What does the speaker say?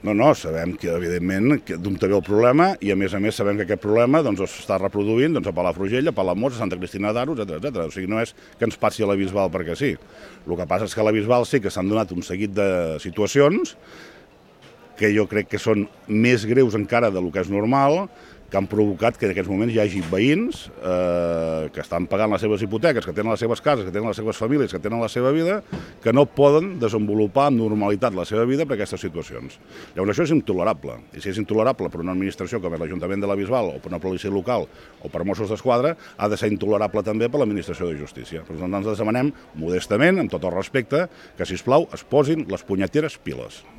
No, sabem que, evidentment, d'on té el problema i, a més sabem que aquest problema s'està reproduint a Palafrugell, a Palamós, a Santa Cristina d'Aro, etc. O sigui, no és que ens passi a la Bisbal perquè sí. El que passa és que a la Bisbal sí que s'han donat un seguit de situacions que jo crec que són més greus encara del que és normal, que han provocat que en aquests moments hi hagi veïns que estan pagant les seves hipoteques, que tenen les seves cases, que tenen les seves famílies, que tenen la seva vida, que no poden desenvolupar amb normalitat la seva vida per aquestes situacions. Llavors això és intolerable, i si és intolerable per una administració com és l'Ajuntament de la Bisbal o per una policia local o per Mossos d'Esquadra, ha de ser intolerable també per l'Administració de Justícia. Per tant, ens demanem modestament, amb tot el respecte, que sisplau es posin les punyeteres piles.